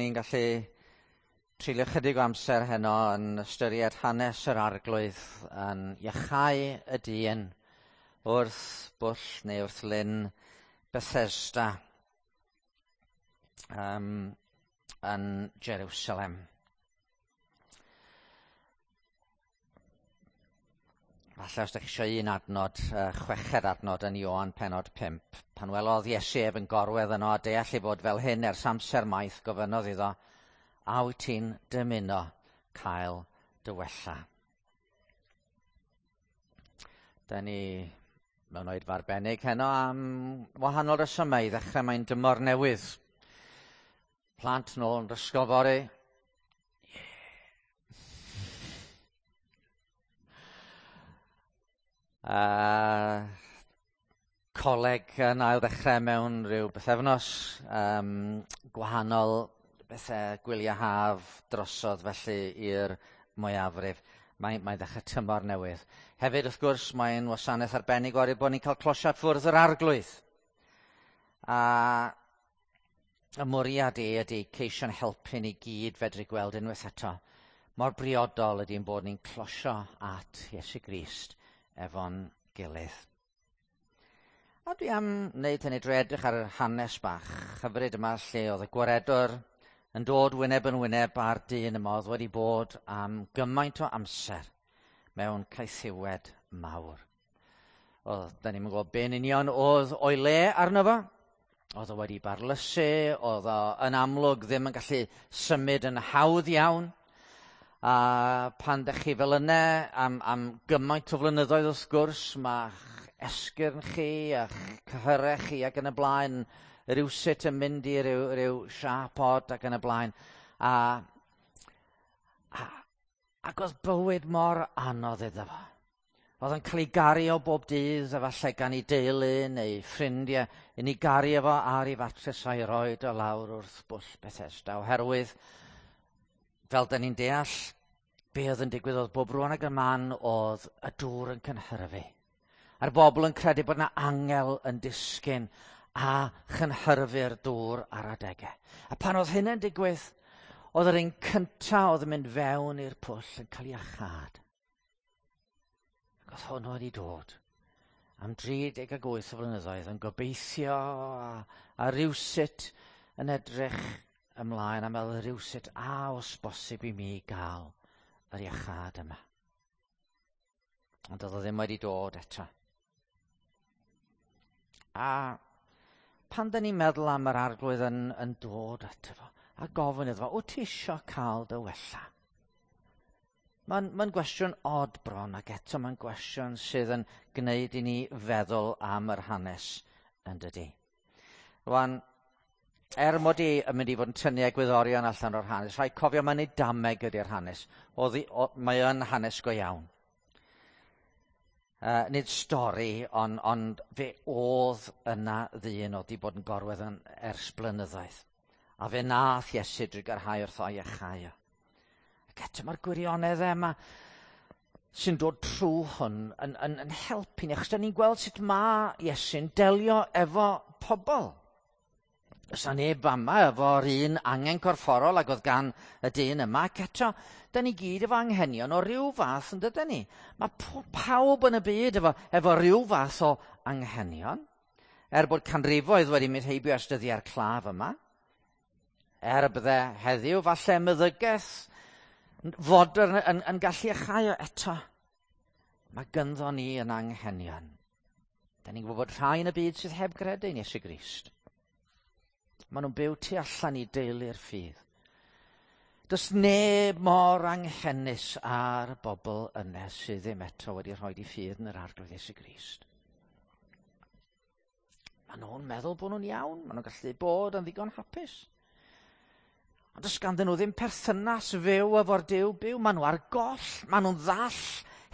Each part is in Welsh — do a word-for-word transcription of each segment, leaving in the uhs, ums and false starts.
Ni'n gallu treulio chydig o amser heno yn ystyried hanes yr Arglwydd yn iachau y dyn wrth bwll neu wrth lyn Bethesda um, yn Jerusalem. Falle os ydych chi eisiau un adnod, uh, chweched adnod yn Ioan pennod pump. Pan welodd Iesu ef yn gorwedd yno a deall ei fod fel hyn ers amser maith, gofynnodd iddo, a wyt ti'n dymuno cael dy wella? Da ni mewn oedfa arbennig heno am wahanol resymau. I ddechrau mae'n dymor newydd. Plant nôl yn ysgol fory. Uh, coleg yn ail ddechrau mewn rhyw bythefnos, um, gwahanol bethau gwyliau haf drosodd felly i'r mwyafrif. Mae'n mae ddechrau tymor newydd. Hefyd, wrth gwrs, mae'n wasanaeth arbennig oherwydd bod ni'n cael closiad ffwrdd yr Arglwydd. A y mwriad i ydy ceisio'n helpu ni gyd fedru gweld unwaith eto. Mor briodol ydy'n bod ni'n closio at Iesu Grist efo'n gilydd. A dwi am wneud hynny drwy edrych ar yr hanes bach hyfryd yma lle oedd y gwaredwr yn dod wyneb yn wyneb â'r dyn yma oedd wedi bod am gymaint o amser mewn caethiwed mawr. Oedd, da ni'n gwybod be'n union oedd o'i le arno fo. Oedd o wedi barlysu, oedd o yn amlwg ddim yn gallu symud yn hawdd iawn. A pan dych chi fel yna am, am gymaint o flynyddoedd wrth gwrs, mae'ch esgyrn chi a'ch cyhyrau chi ac yn y blaen rywsut yn mynd i ryw, ryw siâp od ac yn y blaen. A, a, ac oedd bywyd mor anodd iddo fo. Oedd yn cael ei gario bob dydd, efallai gan ei deulu neu ffrindiau, yn ei gario fo ar ei fatres a'i roed o lawr wrth bwll Bethesda, oherwydd fel da ni'n deall, be oedd yn digwydd oedd bob rwan ag y man oedd y dŵr yn cynhyrfu. A'r bobl yn credu bod yna angel yn disgyn a chynhyrfu'r dŵr ar adegau. A pan oedd hynny'n digwydd, oedd yr un cyntaf oedd yn mynd fewn i'r pwll yn cael ei iachâd. Ac oedd hwn wedi dod am dri deg ag wyth o flynyddoedd yn gobeithio a, a rywsut yn edrych ymlaen a meddwl rywsut a os bosib i mi gael yr iachâd yma. Ond oedd o ddim wedi dod eto. A pan da ni'n meddwl am yr Arglwydd yn, yn dod ato fo, a gofyn iddo fo, wyt ti isio cael dy wella? Mae'n ma gwestiwn od bron, ac eto mae'n gwestiwn sydd yn gwneud i ni feddwl am yr hanes yn dydi. Rwan, er mod i yn mynd i fod yn tynnu egwyddorion allan o'r hanes, rhaid cofio mae'n ei dameg ydy'r hanes. Oedd, o, mae yn hanes go iawn. Uh, nid stori, ond on fe oedd yna ddyn oedd wedi bod yn gorwedd yn ers blynyddoedd. A fe nath Iesu drugarhau wrtho a'i iachau o. Ac eto mae'r gwirionedd yma sy'n dod trwy hwn yn, yn, yn helpu ni, achos da ni'n gweld sut mae Iesu'n delio efo pobl. Oes 'na neb yma efo'r un angen corfforol ag oedd gan y dyn yma, ac eto, da ni gyd efo anghenion o ryw fath yn dydyn ni. Mae pawb yn y byd efo, efo ryw fath o anghenion, er bod canrifoedd wedi mynd heibio ers dyddiau'r claf yma, er y bydde heddiw falle meddygaeth fodern yn, yn gallu iachau o eto. Mae gynddo ni yn anghenion. Da ni'n gwybod bod rhai yn y byd sydd heb gredu yn Iesu Grist. Maen nhw'n byw tu allan i deulu'r ffydd. Does neb mor anghenus ar bobl yna sydd ddim eto wedi rhoi eu ffydd yn yr Arglwydd Iesu Grist. Maen nhw'n meddwl bod nhw'n iawn, maen nhw'n gallu bod yn ddigon hapus. Ond does ganddyn nhw ddim perthynas fyw efo'r Duw byw. Maen nhw ar goll, maen nhw'n ddall,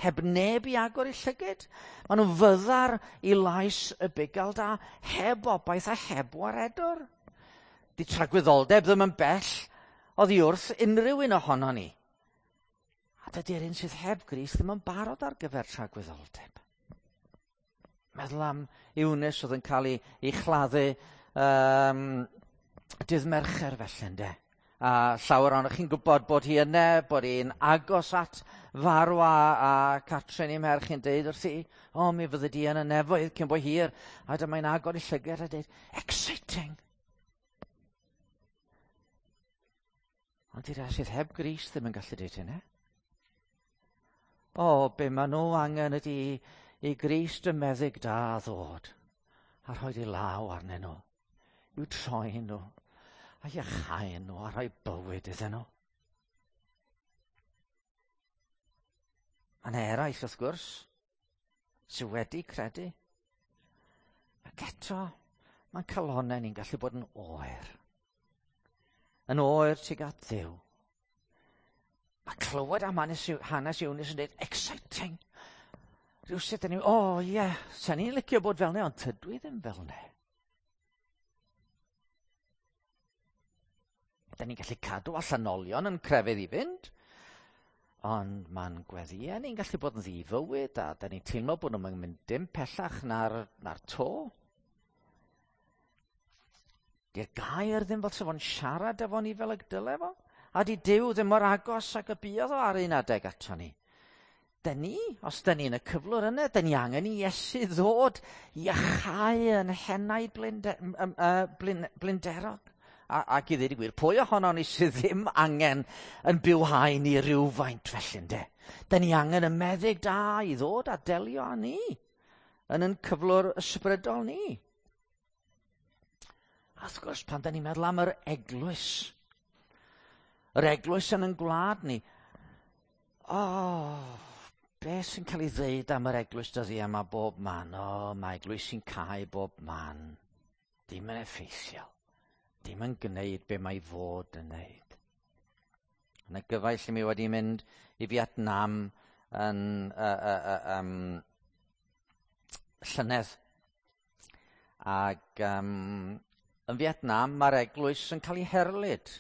heb neb i agor eu llygid. Maen nhw'n fyddar i lais y bugail da, heb obaith a heb waredwr. Di tragwyddoldeb ddim yn bell oddi wrth unrhyw un ohono ni. A dydy'r un sydd heb Grist ddim yn barod ar gyfer tragwyddoldeb. Meddwl am Eunice oedd yn cael ei, ei chladdu um, dydd Mercher felly, ynde. A llawer ohonoch chi'n gwybod bod hi yna, bod hi'n agos at farw a, a Catrin ei merch yn deud wrthi, o, mi fyddi di yn y nefoedd cyn bo hir. A dyma'n agor ei llygad a deud, exciting! Ond i'r rhai sydd heb Grist ddim yn gallu deud hynny. O, be maen nhw angen ydy i Grist y meddyg da ddod a rhoi ei law arnyn nhw, i'w troi nhw, a iachau nhw a rhoi bywyd iddyn nhw. Mae yna eraill, wrth gwrs, sydd wedi credu. Ac eto, mae'n calonnau ni'n gallu bod yn oer. Yn oer tuag at Dduw. Mae clywed am hanes, hanes Eunice yn dweud, exciting. Rhywsut dyn ni, o oh, ie, yeah, sa'n ni'n licio bod fel 'ne, ond tydw i ddim fel 'ne. Da ni'n gallu cadw allanolion yn crefydd i fynd, ond mae'n gweddïau ni'n gallu bod yn ddifywyd, a da ni'n teimlo bod nhw'n mynd dim pellach na'r, na'r to. Di'r gair ddim fel sa fo'n siarad efo ni fel y dyle fo, a di Duw ddim mor agos ag y buodd o ar un adeg ato ni. Da ni, os da ni yn y cyflwr yna, da ni angen i Iesu ddod i iachau yn henaid blinde, um, uh, blin, blinderog. A, ac i ddweud y gwir, pwy ohono ni sydd ddim angen yn bywhau ni rhywfaint felly, ynde? Da ni angen y meddyg da i ddod a delio â ni yn yn cyflwr ysbrydol ni. A wrth gwrs, pan da ni'n meddwl am yr eglwys, yr eglwys yn yn gwlad ni, o, oh, beth sy'n cael ei ddeud am yr eglwys dyddiau yma bob man? O, oh, mae eglwys sy'n cau bob man. Dim yn effeithiol. Dim yn gwneud be mae fod yn wneud. Yna gyfaill i mi wedi mynd i Vietnam yn uh, uh, uh, um, llynedd. Ac um, yn Vietnam mae'r eglwys yn cael ei herlid.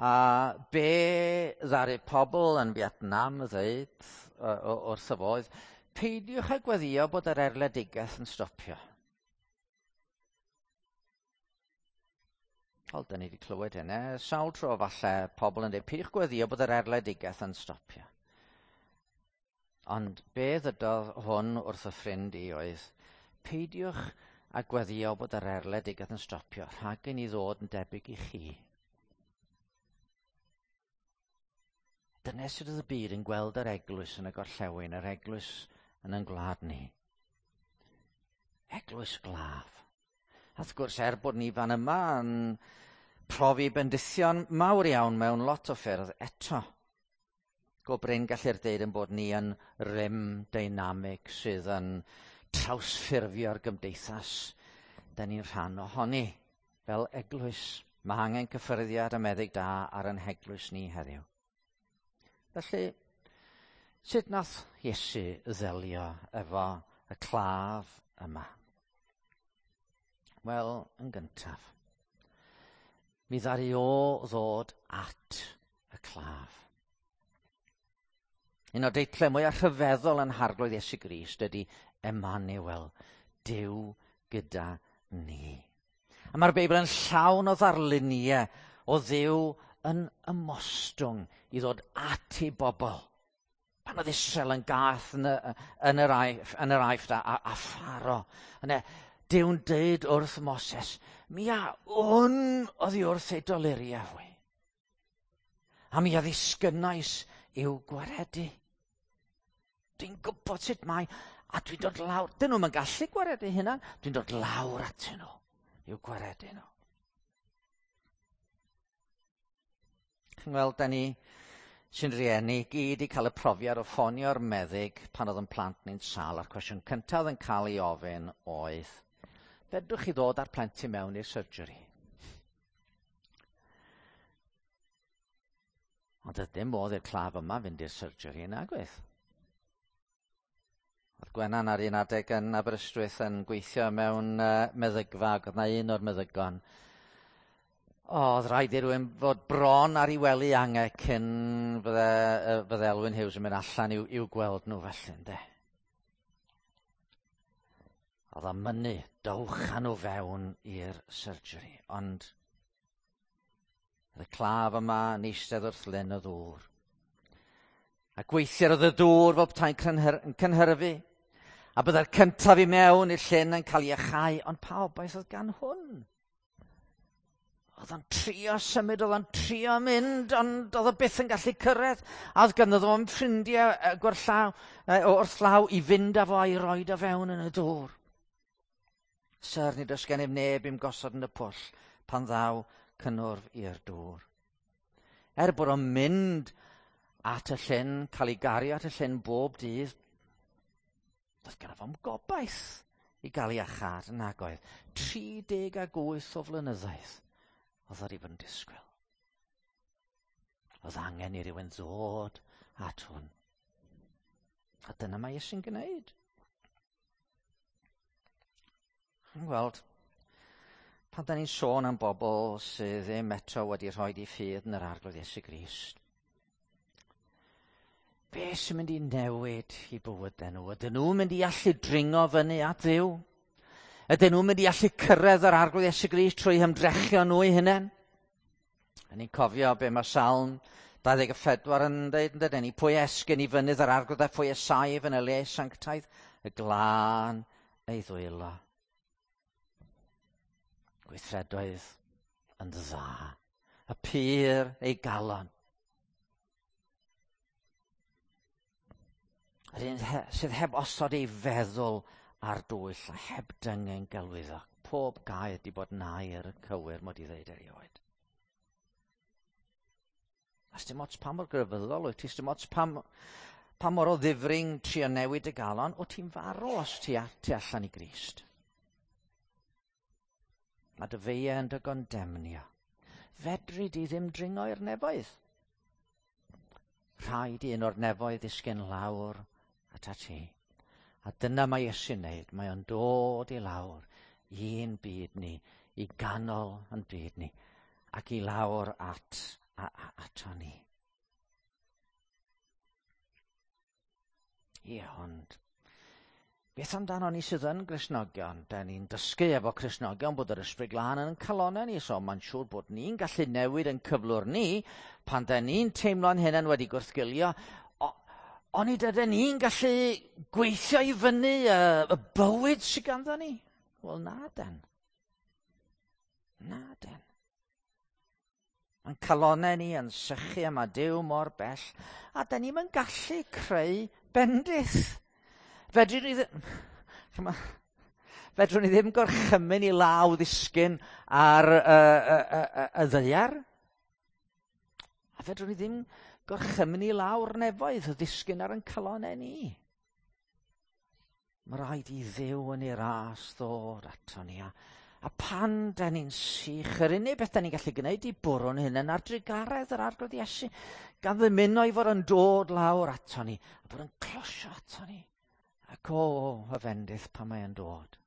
A be ddaru pobl yn Vietnam ddeud wrth y fodd, peidiwch â gweddio bod yr erledigaeth yn stopio. Wel, da ni wedi clywed hynny. Sawl tro falle pobl yn dweud, peidiwch gweddio bod yr erledigaeth yn stopio. Ond be ddydodd hwn wrth y ffrind i oedd, peidiwch â gweddio bod yr erledigaeth yn stopio, rhag i ni ddod yn debyg i chi. Dyna sut oedd y byd yn gweld yr eglwys yn y gorllewin, yr eglwys yn ein gwlad ni. Eglwys glaf. A wrth gwrs, er bod ni fan yma yn profi bendithion mawr iawn mewn lot o ffyrdd eto, go brin gallu'r deud yn bod ni yn rym deinamig sydd yn trawsffurfio'r gymdeithas. Da ni'n rhan ohoni fel eglwys. Mae angen cyffyrddiad a meddyg da ar ein heglwys ni heddiw. Felly, sut nath Iesu ddelio efo y claf yma? Wel, yn gyntaf, mi ddaru o ddod at y claf. Un o'r deitlau mwyaf rhyfeddol yn Harglwydd Iesu Grist ydy Emmanuel, Duw gyda ni. A mae'r Beibl yn llawn o ddarluniau o Dduw yn ymostwng i ddod at ei bobl. Pan oedd Israel yn gath yn, y, yn, yr, aif, yn yr aifft a, a, a Pharo, yna Duw'n deud wrth Moses, mi a wn oddi wrth ei doluriau hwy. A mi a ddisgynnais i'w gwaredu. Dwi'n gwybod sut mae, a dwi'n dod lawr. Dyn nhw'm yn gallu gwaredu hynna. Dwi'n dod lawr atyn nhw i'w gwaredu nhw. Chi'n gweld, da ni sy'n rieni gyd i cael y profiad o ffonio'r meddyg pan oedd yn plant ni'n sâl, a'r cwestiwn cyntaf oedd yn cael ei ofyn oedd, fedrwch chi ddod â'r plentyn mewn i'r surgery? Ond oedd dim modd i'r claf yma fynd i'r surgery yna, gweith. Oedd Gwenan ar un adeg yn Aberystwyth yn gweithio mewn uh, meddygfa, ac oedd na un o'r meddygon. O, oedd rhaid i rywun fod bron ar ei wely ange cyn fydde, uh, fydde Elwyn Hughes yn mynd allan i'w, i'w gweld nhw felly, ynde. Oedd o'n mynnu, dowch â nhw fewn i'r surgery, ond Oedd y claf yma yn eistedd wrth lyn y ddŵr. A gweithiau oedd y dŵr fel petai'n yn cynhyrfu. A byddai'r cyntaf i mewn i'r llyn yn cael ei iachau, ond pa obaith oedd gan hwn? Oedd o'n trio symud, oedd o'n trio mynd, ond oedd o byth yn gallu cyrraedd. A oedd ganddo fo'n ffrindiau gwerthlaw, wrth law i fynd â fo a'i roed o fewn yn y dŵr. Syr, nid oes gennyf neb i'm gosod yn y pwll pan ddaw cynnwrf i'r dŵr. Er bod o'n mynd at y llyn, cael ei gario at y llyn bob dydd, doedd gynno fo'm gobaith i gael ei iachâd yn nagoedd. tri deg ag wyth o flynyddoedd oedd o wedi bod yn disgwyl. Oedd angen i rywun ddod at hwn. A dyna mae Iesu'n gwneud. Chi'n gweld, pan da ni'n sôn am bobl sydd ddim eto wedi rhoi eu ffydd yn yr Arglwydd Iesu Grist, be sy'n mynd i newid i bywydau nhw? Ydyn nhw'n mynd i allu dringo fyny at Dduw? Ydyn nhw'n mynd i allu cyrraedd yr Arglwydd Iesu Grist trwy hymdrechion nhw eu hunain? A ni'n cofio be mae Salm dau ddeg a phedwar yn dweud, yn dydyn ni, pwy esgyn i fynydd yr Arglwydd a phwy saif yn y le sanctaidd, y glân ei ddwylo. Gweithredoedd yn dda, y pur ei galon. Yr un sydd heb osod ei feddwl ar dwyll a heb dyngen gelwyddo. Pob gair di bod yn air cywir mod i ddeud erioed. A sdim ots pa mor grefyddol wyt ti, sdim ots pa, pa mor o ddifring trio newid y galon, o ti'n farw os ti, ti allan i Grist. Mae dy feiau yn dy gondemnio. Fedri di ddim dringo i'r nefoedd. Rhaid i un o'r nefoedd ddisgyn lawr ata ti. A dyna mae Iesu'n wneud. Mae o'n dod i lawr i'n byd ni, i ganol yn byd ni, ac i lawr at, a, a, ato ni. Ie, ond beth amdano ni sydd yn Gristnogion? Da ni'n dysgu efo Cristnogion bod yr Ysbryd Glân yn calonau ni, so mae'n siŵr bod ni'n gallu newid yn cyflwr ni pan da ni'n teimlo'n hunain wedi gwrthgilio. Onid ydyn ni'n gallu gweithio i fyny y, y bywyd sydd ganddo ni? Wel, na den. Na den. Mae'n calonau ni yn sychu a mae Duw mor bell, a da ni'n gallu creu bendith. Fedrwn ni ddim, fedrwn ni ddim gorchymyn i law ddisgyn ar y, y, y, y, y ddaear. A fedrwn ni ddim gorchymyn i lawr nefoedd ddisgyn ar ein calonau ni. Mae rhaid i Dduw yn ei ras ddod ato ni. A, a pan da ni'n sych, yr unig beth da ni'n gallu gwneud i bwrw'n hunain ar drugaredd yr Arglwydd Iesu, gan ddymuno i fod yn dod lawr ato ni, a bod yn closio ato ni. Ac o, y fendith pan mae yn dod.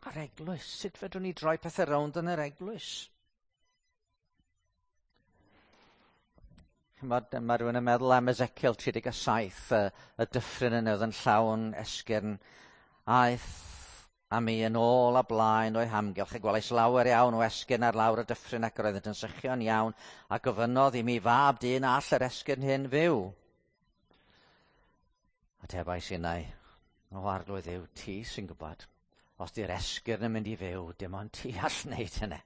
A'r eglwys, sut fedrwn ni droi pethau rownd yn yr eglwys? Chimod, mae rhywun yn meddwl am Ezekiel tri deg saith, y, y dyffryn yn oedd yn llawn esgyrn. Aeth a mi yn ôl a blaen o'i hamgylch, a gwelais lawer iawn o esgyrn ar lawr y dyffryn ac roeddent yn sychio'n iawn, a gofynnodd i mi fab dyn all yr esgyrn hyn fyw. Atebais innau, o Arglwydd Dduw, ti sy'n gwybod, os di'r esgyrn yn mynd i fyw, dim ond ti all wneud hynny.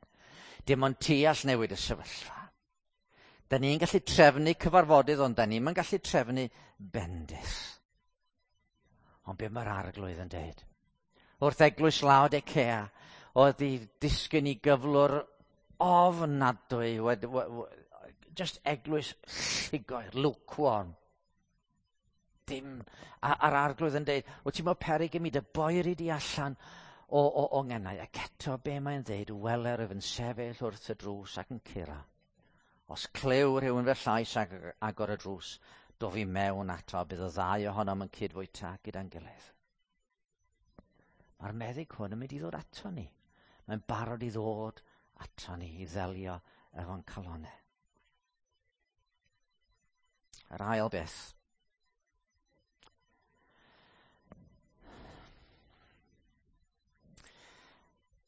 Dim ond ti all newid y sefyllfa. Da ni'n gallu trefnu cyfarfodydd, ond da ni'm yn gallu trefnu bendith. Ond be mae'r Arglwydd yn dweud? Wrth eglwys Laodicea, oedd i disgyn i gyflwr ofnadwy, wed, w, w, just eglwys llugoer, lukewarm. Dim, a, a'r Arglwydd yn dweud, wyt ti'n meddwl peryg i mi dy boeri di allan o, o, o ngenau. Ac eto be mae'n dweud, weler ef yn sefyll wrth y drws ac yn curo. Os clyw rhywun fy llais ag agor y drws, dof i mewn ato, bydd y ddau ohonom yn cydfwyta gyda'n gilydd. Mae'r meddyg hwn yn mynd i ddod ato ni. Mae'n barod i ddod ato ni i ddelio efo'n calonau. Yr ail beth.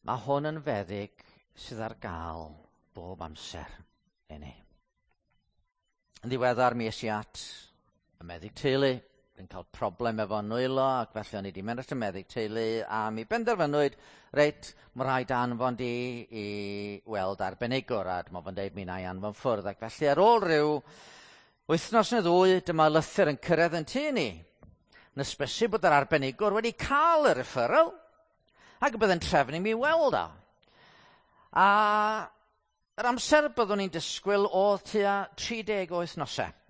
Mae hwn yn feddyg sydd ar gael bob amser i ni. Yn ddiweddar mi es i at y meddyg teulu. Dwi'n cael problem efo nwylo, ac felly o'n i wedi mynd at y meddyg teulu, a mi benderfynwyd, reit, mae rhaid anfon di i weld arbenigwr, a dyma fo'n deud mi na i anfon ffwrdd. Ac felly ar ôl rhyw wythnos neu ddwy, dyma lythyr yn cyrraedd yn tŷ ni. Yn ysbysu bod yr arbenigwr wedi cael y referral, ac y bydd yn trefnu mi weld o. A yr amser byddwn ni'n disgwyl oedd tua tri deg o wythnosau.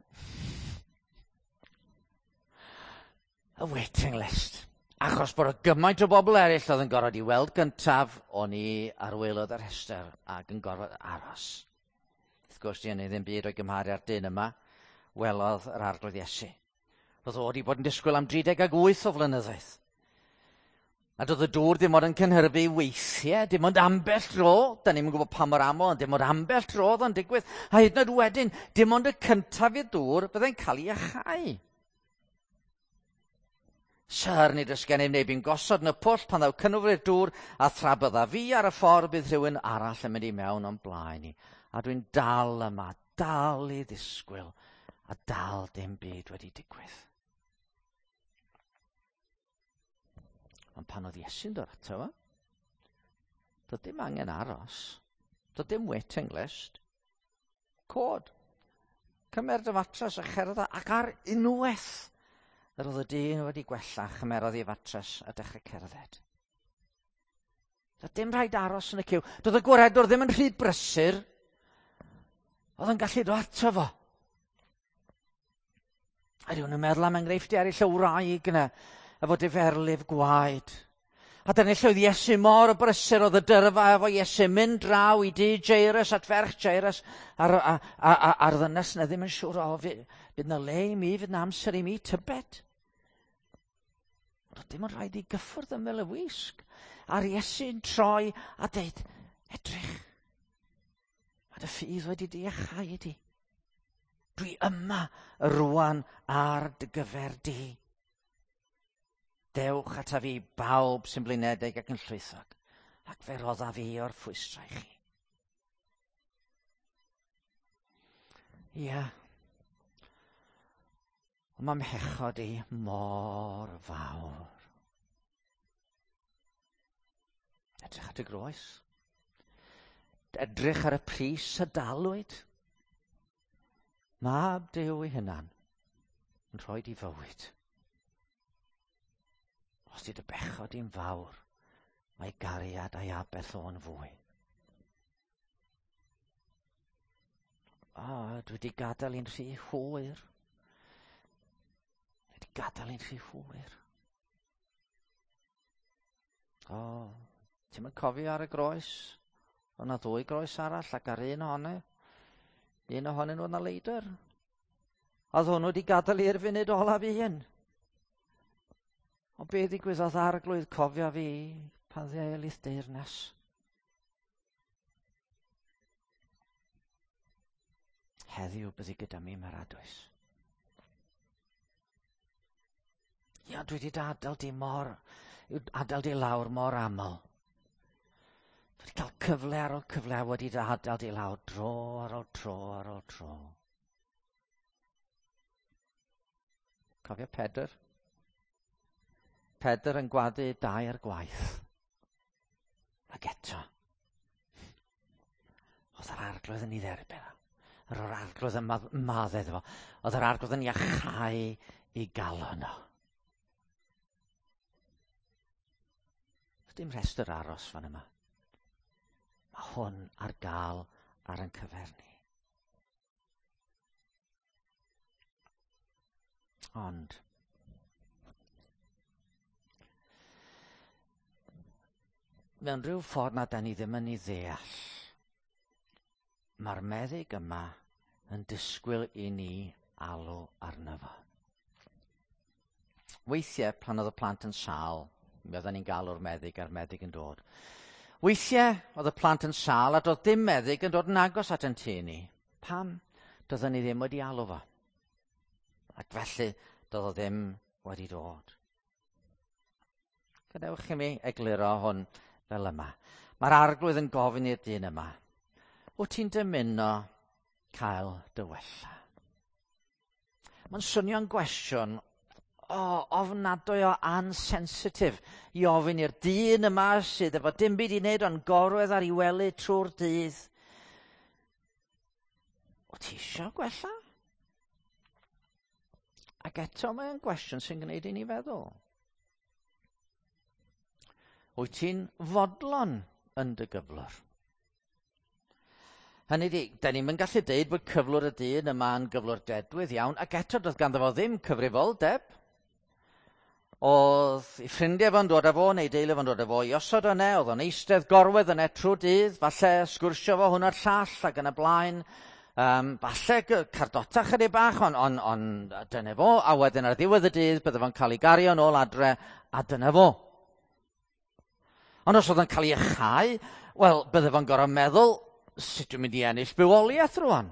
Y waiting list. Achos bod y gymaint o bobl eraill oedd yn gorfod i weld gyntaf, o'n i ar waelod yr rhestr ac yn gorfod aros. Wrth gwrs, di hynny ddim byd o'i gymharu â'r dyn yma, welodd yr Arglwydd Iesu. Roedd o wedi bod yn disgwyl am dri deg ag wyth o flynyddoedd. A doedd y dŵr dim ond yn cynhyrfu weithiau, dim ond ambell dro, da ni'm yn gwybod pa mor aml, ond dim ond ambell dro oedd o'n digwydd. A hyd yn oed wedyn, dim ond y cyntaf i'r dŵr byddai'n cael ei iachau. Syr, nid oes gennym neb i'n gosod yn y pwll pan ddaw cynnwrf i'r dŵr, a thra bydda fi ar y ffordd bydd rhywun arall yn mynd i mewn o'n blaen i. A dwi'n dal yma, dal i ddisgwyl, a dal dim byd wedi digwydd. Ond pan oedd Iesu'n dod ato fo, doedd dim angen aros, doedd dim waiting list. Cod, cymer dy fatres a cherdda, ac ar unwaith yr oedd y dyn wedi gwella, chymerodd ei fatres a dechrau cerdded. Doedd dim rhaid aros yn y ciw. Doedd y gwaredwr ddim yn rhy brysur. Oedd yn gallu dod ato fo. A rhywun yn meddwl am enghreifftiau eraill o wraig yna, efo diferlif gwaed. A dyna lle oedd Iesu mor brysur, oedd y dyrfa efo Iesu mynd draw i dŷ Jairus at ferch Jairus, a'r, a, a, a, a'r ddynes yna ddim yn siŵr, o, fydd na le i mi, fydd na amser i mi, tybed. Ond dim ond rhaid i gyffwrdd ymyl y wisg. A'r Iesu'n troi a deud, edrych, mae dy ffydd wedi dy iachau di. Dwi yma rwan ar dy gyfer di. Dewch ata fi bawb sy'n blinedig ac yn llwythog, ac fe rodda fi o'r ffwystrau chi. Ia. Ond mae mhechod i mor fawr. Edrych at y groes. Edrych ar y pris a dalwyd. Mab Duw ei hunan yn rhoi di fywyd. Os di dy bechod i'n fawr, mae gariad a'i aberth o'n fwy. O, dwi wedi gadael i'n rhy hwyr. Dwi wedi gadael i'n rhy hwyr. O, ti'n mynd cofio ar y groes? Oedd 'na ddwy groes arall ac ar un ohonyn nhw, un ohonyn nhw oedd 'na leidr. Oedd hwnnw wedi gadael i'r funud olaf un. Ond be ddigwyddodd Arglwydd, cofio fi pan ddêl i'th deyrnas. Heddiw byddi gyda mi maradwys. Ia, dwi wedi adael di mor, adael di lawr mor aml. Dwi wedi cael cyfle ar ôl cyfle a wedi dy adael di lawr dro ar ôl tro ar ôl tro. Cofio Pedr? Pedr yn gwadu dair gwaith. Ac eto, oedd yr Arglwydd yn ei dderbyn o. Yr oedd yr Arglwydd yn maddau iddo fo. Oedd yr Arglwydd yn iachau i galon o. Does dim rhestr aros fan yma. Mae hwn ar gael ar ein cyfer ni. Ond, mewn rhyw ffordd na da ni ddim yn ei ddeall, mae'r meddyg yma yn disgwyl i ni alw arno fo. Weithiau, pan oedd y plant yn sâl, mi oedden ni'n galw'r meddyg a'r meddyg yn dod. Weithiau, oedd y plant yn sâl a doedd dim meddyg yn dod yn agos at yn tŷ ni. Pam? Doedden ni ddim wedi alw fo. Ac felly, doedd o ddim wedi dod. Gadewch i mi egluro hwn fel yma. Mae'r Arglwydd yn gofyn i'r dyn yma, wyt ti'n dymuno cael dy wella? Mae'n swnio'n gwestiwn o, ofnadwy o ansensitif i ofyn i'r dyn yma sydd efo dim byd i wneud ond gorwedd ar ei wely trwy'r dydd. Wyt ti eisiau gwella? Ac eto mae'n gwestiwn sy'n gwneud i ni feddwl. Wyt ti'n fodlon yn dy gyflwr? Hynny ydi, da ni'm yn gallu deud bod cyflwr y dyn yma yn gyflwr dedwydd iawn, ac eto doedd ganddo fo ddim cyfrifoldeb. Oedd ei ffrindiau fo'n dod â fo, neu deulu fo'n dod â fo i osod yna, oedd o'n eistedd gorwedd yna trwy dydd, falle sgwrsio fo hwn a'r llall ac yn y blaen. Um, falle cardota chydig bach, ond on, on, dyna fo, a wedyn ar ddiwedd y dydd bydde fo'n cael ei gario nôl adre, a dyna fo. Ond os oedd o'n cael ei iachau, wel, bydde fo'n gorfod meddwl, sut dwi'n mynd i ennill bywoliaeth rwan?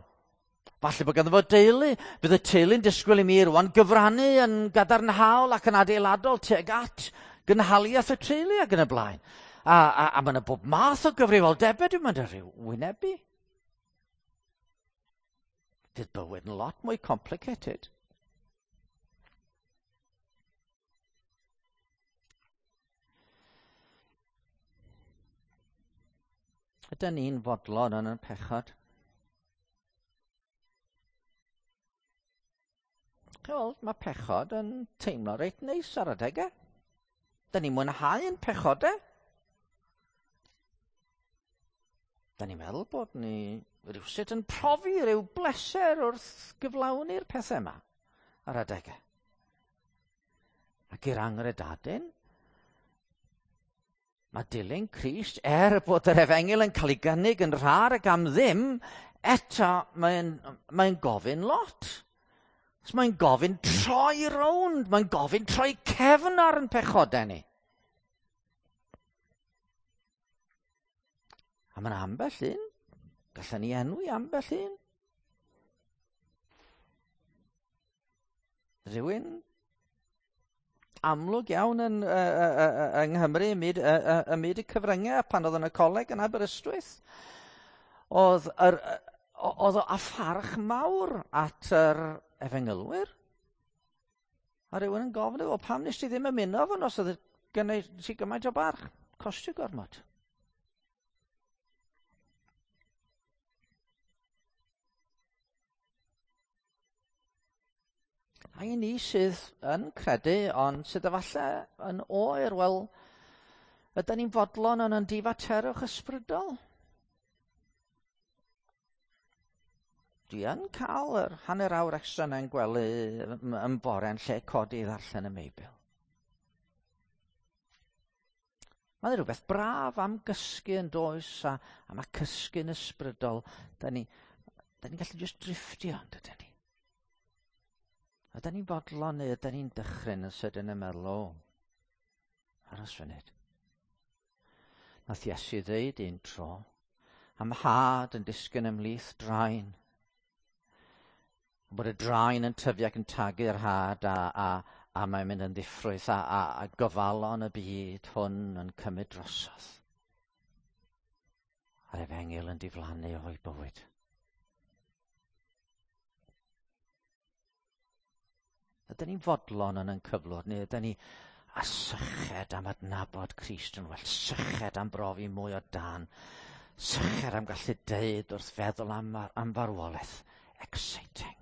Falle bod ganddo fo deulu. Bydd y teulu'n disgwyl i mi rwan gyfrannu yn gadarnhaol ac yn adeiladol tuag at gynhaliaeth y teulu ac yn y blaen. A, a, a mae yna bob math o gyfrifoldebau dwi'n mynd ar ryw wynebu. Fydd bywyd yn lot mwy complicated. Ydyn ni'n fodlon yn y pechod? Wel, mae pechod yn teimlo reit neis ar adegau. Dyn ni'n mwynhau yn pechodau. Dyn ni'n meddwl bod ni rhywsut yn profi rhyw bleser wrth gyflawni'r pethau yma ar adegau. Ac i'r angredadun, mae dilyn Crist, er bod yr efengyl yn cael ei gynnig yn rhad ac am ddim, eto mae'n mae gofyn lot. So mae'n gofyn troi rownd, mae'n gofyn troi cefn ar yn pechodau ni. A mae'n ambell un, gallen ni enwi ambell un. Rhywun amlwg iawn yn, uh, uh, uh, yng Nghymru, ym myd, uh, uh, ym myd y cyfryngau, pan oedd yn y coleg yn Aberystwyth. Oedd, yr, oedd o a pharch mawr at yr efengylwyr. A rhywun yn gofyn iddo, pam nes ti ddim ymuno fo os oedd gynnu ti gymaint o barch? Costio gormod. A i ni sydd yn credu, ond sydd efallai yn oer, wel, ydyn ni'n fodlon yn yn difaterwch ysbrydol? Dwi yn cael yr hanner awr extra yna'n gwely yn bore yn lle codi i ddarllen y Meibl. Mae'n rhywbeth braf am gysgu yn does, a, a mae cysgu'n ysbrydol. Da ni, da ni'n gallu just drifftio, yn dydyn ni? Ydyn ni'n fodlon neu ydyn ni'n dychryn yn sydyn yn meddwl, o, aros funud. Nath Iesu ddeud un tro, am had yn disgyn ymhlith draen. Bod y draen yn tyfu ac yn tagu'r had a, a, a mae'n mynd yn ddiffrwyth a, a, a gofalon y byd hwn yn cymryd drosodd. A'r efengyl yn diflannu o'i bywyd. Ydyn ni'n fodlon yn ein cyflwr, neu ydyn ni a syched am adnabod Crist yn well, syched am brofi mwy o dan, syched am gallu deud wrth feddwl am, am farwolaeth. Exciting.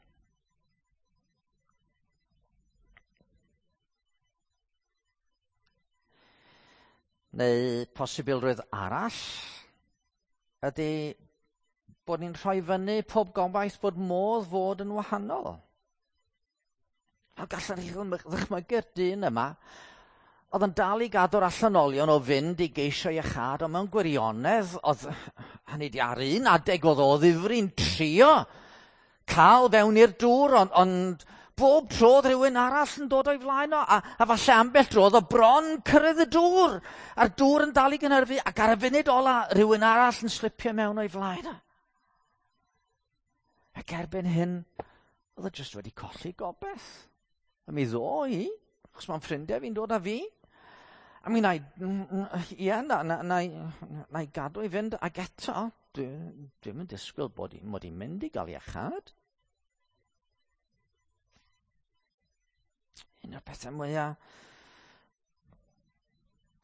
Neu posibilrwydd arall ydy bod ni'n rhoi fyny pob gobaith bod modd fod yn wahanol. A gallwn ni ddychmygu'r dyn yma, oedd yn dal i gadw'r allanolion o fynd i geisio iachâd, ond mewn gwirionedd, oedd, hynny di ar un adeg oedd o ddifri'n trio cael fewn i'r dŵr, ond, ond bob tro oedd rhywun arall yn dod o'i flaen o, a, a falle ambell dro oedd o bron cyrraedd y dŵr, a'r dŵr yn dal i gynhyrfu, ac ar y funud ola, rhywun arall yn slipio mewn o'i flaen o. Ac erbyn hyn, oedd o jyst wedi colli gobaith. A mi ddo i, achos mae'n ffrindiau fi'n dod â fi. I mean, na i, ie, na, na, na, na i gadw i fynd, ac eto, dwi'n dwi yn disgwyl bod i, mod i'n mynd i gael iachâd. Un o'r pethau mwyaf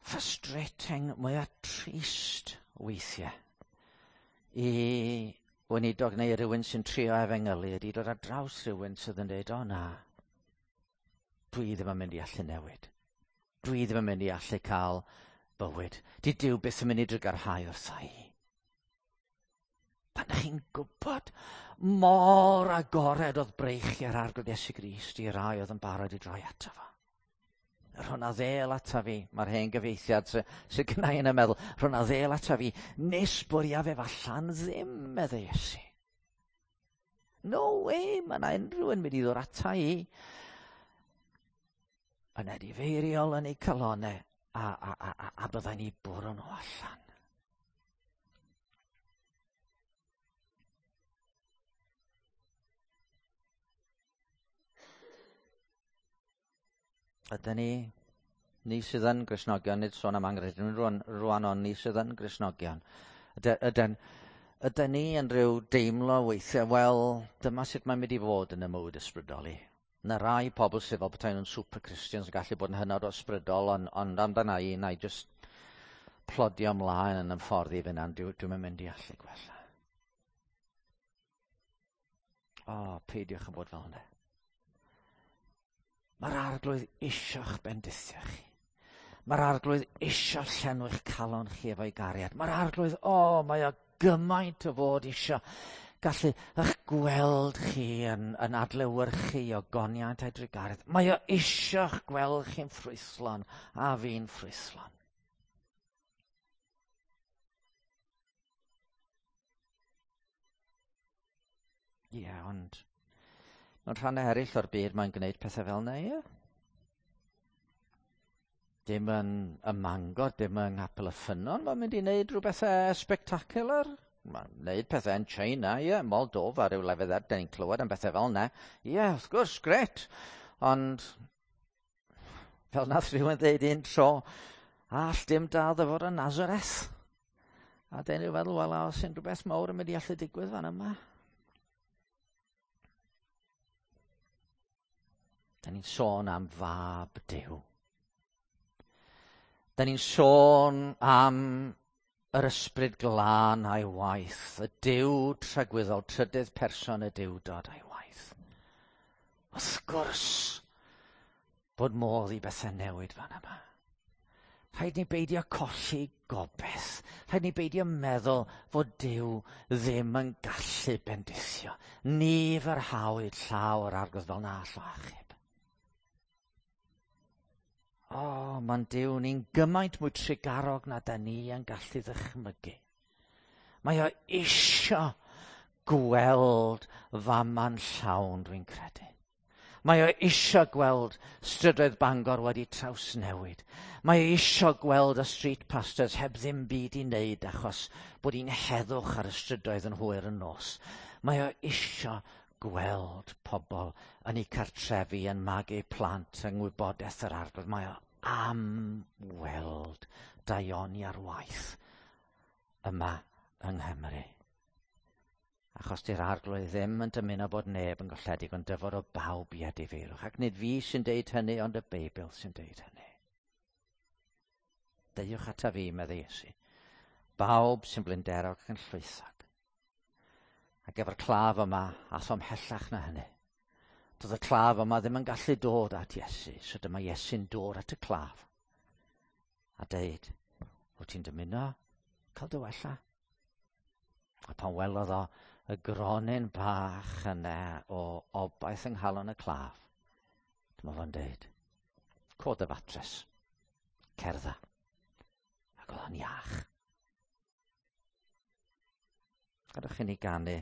frustrating, mwyaf trist weithiau i weinidog neu rhywun sy'n trio efengylu ydy dod ar draws rhywun sydd yn dweud, o na, dwi ddim yn mynd i allu newid. Dwi ddim yn mynd i allu cael bywyd. Di Duw byth yn mynd i drugarhau wrtha i. Pan ydych chi'n gwybod mor agored oedd breichiau'r Arglwydd Iesu Grist i rai oedd yn barod i droi ato fo. Rhwna ddêl ata fi, mae'r hen gyfieithiad sydd sy gynna i yn y meddwl, rhwna ddêl ata fi, nes bwriaf ef allan ddim, meddai Iesu. No way, mae yna unrhyw yn mynd i ddod ata i. Yn edifeiriol yn eu calonau, a, a, a, a, a byddai'n ni bwrw nhw allan. Ydyn ni, ni sydd yn Gristnogion, nid sôn am anghredinwyr rwan, rwan ond ni sydd yn Gristnogion. Ydyn, ydyn ni yn rhyw deimlo weithiau, wel, dyma sut mae'n mynd i fod yn y mywyd ysbrydol i. Na rai pobl sydd fel petai nhw'n super Christians yn gallu bod yn hynod o ysbrydol, ond, ond amdana i, na i just plodio ymlaen yn y ffordd i fynd, dwi'n dwi mynd i allu gwella. O, oh, peidiwch yn bod fel yna. Mae'r Arglwydd isio'ch bendithio chi. Mae'r Arglwydd isio llenwi'ch calon chi efo'i gariad. Mae'r Arglwydd, o, oh, mae o gymaint o fod isio gallu eich gweld chi yn, yn adlewyrchu o goniant a'i drugaredd. Mae o isio'ch gweld chi'n ffrwythlon a fi'n ffrwythlon. Ie, yeah, ond mewn rhannau eraill o'r byd mae'n gwneud pethau fel yna, ie? Dim yn y Mangor, dim yng Nghapel y Ffynnon, mae'n mynd i wneud rhywbeth spectacular. Mae'n gwneud pethau yn China, ie, Moldova, rhyw lefydd er, dyn ni'n clywed am bethau fel yna. Ie, wrth gwrs, gret. Ond, fel nath rhywun ddeud un tro, all dim da ddyfod yn Nazareth. A dyn ni'n feddwl, wel, os unrhyw beth mawr yn mynd i allu digwydd fan yma. Da ni'n sôn am fab Duw. Da ni'n sôn am yr ysbryd glân a'i waith, y Duw tragwyddol, trydydd person y Duwdod a'i waith. Wrth gwrs bod modd i bethau newid fan yma. Rhaid ni beidio colli gobaith. Rhaid ni beidio meddwl fod Duw ddim yn gallu bendithio. Ni fyrhawyd llaw yr Arglwydd fel na all o achub. O, oh, mae'n Duw ni'n gymaint mwy trugarog na da ni yn gallu ddychmygu. Mae o isio gweld fama'n llawn, dwi'n credu. Mae o isio gweld strydoedd Bangor wedi trawsnewid. Mae o isio gweld y street pastors heb ddim byd i wneud achos bod hi'n heddwch ar y strydoedd yn hwyr yn nos. Mae o isio gweld pobl yn eu cartrefi yn magu plant yng ngwybodaeth yr Arglwydd. Mae o am weld daioni ar waith yma yng Nghymru. Achos di'r Arglwydd ddim yn dymuno bod neb yn golledig, ond dyfod o bawb i edifeirwch. Ac nid fi sy'n deud hynny, ond y Beibl sy'n deud hynny. Deuwch ata fi, meddai Iesu. Bawb sy'n blinderog ac yn llwythog. Ac efo'r claf yma, ath o ymhellach na hynny. Doedd y claf yma ddim yn gallu dod at Iesu, so dyma Iesu'n dod at y claf. A deud, wyt ti'n dymuno cael dy wella? A pan welodd o y gronyn bach yna o obaith yng nghalon y claf, dyma fo'n deud, cod y fatres, cerdda. Ac oedd o'n iach. Gadewch i ni ganu